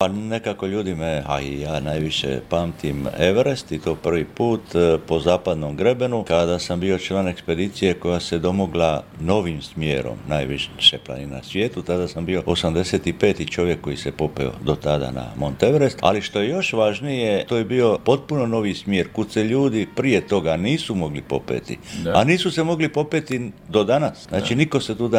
Pa nekako ljudi a i ja najviše pamtim Everest i to prvi put po zapadnom grebenu kada sam bio član ekspedicije koja se domogla novim smjerom najviše planina na svijetu. Tada sam bio 85. čovjek koji se popeo do tada na Mont Everest, ali što je još važnije, to je bio potpuno novi smjer kud se ljudi prije toga nisu mogli popeti, a nisu se mogli popeti do danas. Znači niko se tu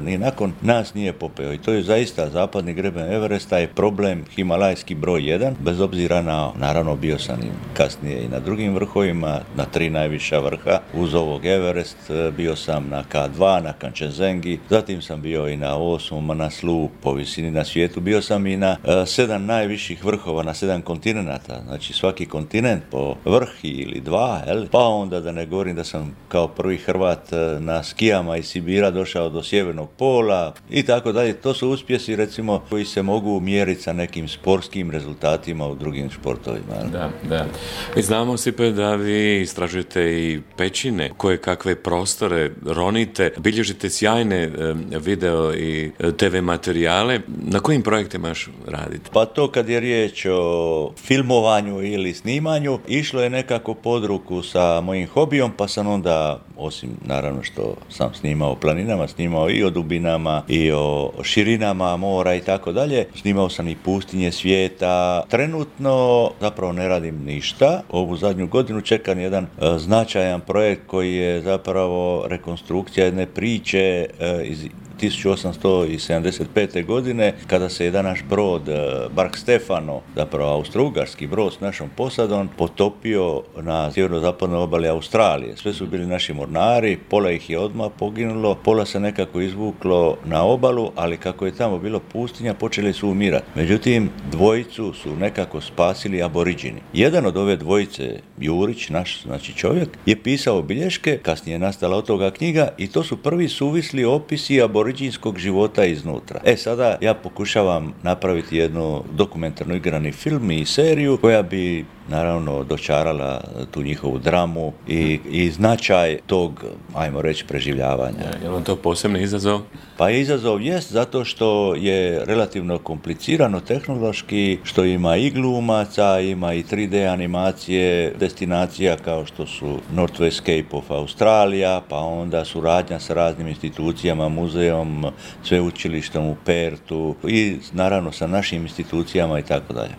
ni nakon nas nije popeo i to je zaista zapadni greben Everesta je problem himalajski broj 1, bez obzira na, naravno bio sam i kasnije i na drugim vrhovima, na 3 najviša vrha, uz ovog Everest, bio sam na K2, na Kanchenjungi, zatim sam bio i na 8. Manaslu po visini na svijetu, bio sam i na 7 najviših vrhova, na 7 kontinenata, znači svaki kontinent po vrh ili 2, pa onda da ne govorim da sam kao prvi Hrvat na skijama iz Sibira došao do sjevernog pola i tako dalje. To su uspjesi recimo koji se mogu mjeriti sa nekim sportskim rezultatima u drugim športovima. Da. Mi znamo, Stipe, da vi istražujete i pećine, koje kakve prostore ronite, bilježite sjajne video i TV materijale. Na kojim projektima još radite? Pa to kad je riječ o filmovanju ili snimanju, išlo je nekako pod ruku sa mojim hobijom, pa sam onda, osim naravno što sam snimao o planinama, snimao i o dubinama i o širinama mora i tako dalje. Snimao sam i pustinje svijeta. Trenutno zapravo ne radim ništa. Ovu zadnju godinu čekam jedan značajan projekt koji je zapravo rekonstrukcija jedne priče iz 1875. godine, kada se jedan naš brod, Bark Stefano, zapravo austro-ugarski brod s našom posadom, potopio na sjeverno-zapadnoj obali Australije. Sve su bili naši mornari, pola ih je odmah poginulo, pola se nekako izvuklo na obalu, ali kako je tamo bilo pustinja, počeli su umirati. Međutim, dvojicu su nekako spasili aboriđini. Jedan od ove dvojice, Jurić, naš znači čovjek, je pisao bilješke, kasnije je nastala od toga knjiga i to su prvi suvisli opisi aboriđinskog života iznutra. Sada ja pokušavam napraviti jednu dokumentarnu igrani film i seriju koja bi naravno dočarala tu njihovu dramu i značaj tog, ajmo reći, preživljavanja. Je li vam to posebni izazov? Pa izazov jest zato što je relativno komplicirano tehnološki, što ima i glumaca, ima i 3D animacije, destinacija kao što su Northwest Cape of Australija, pa onda suradnja sa raznim institucijama, muzeom, sveučilištem u Pertu i naravno sa našim institucijama i tako dalje.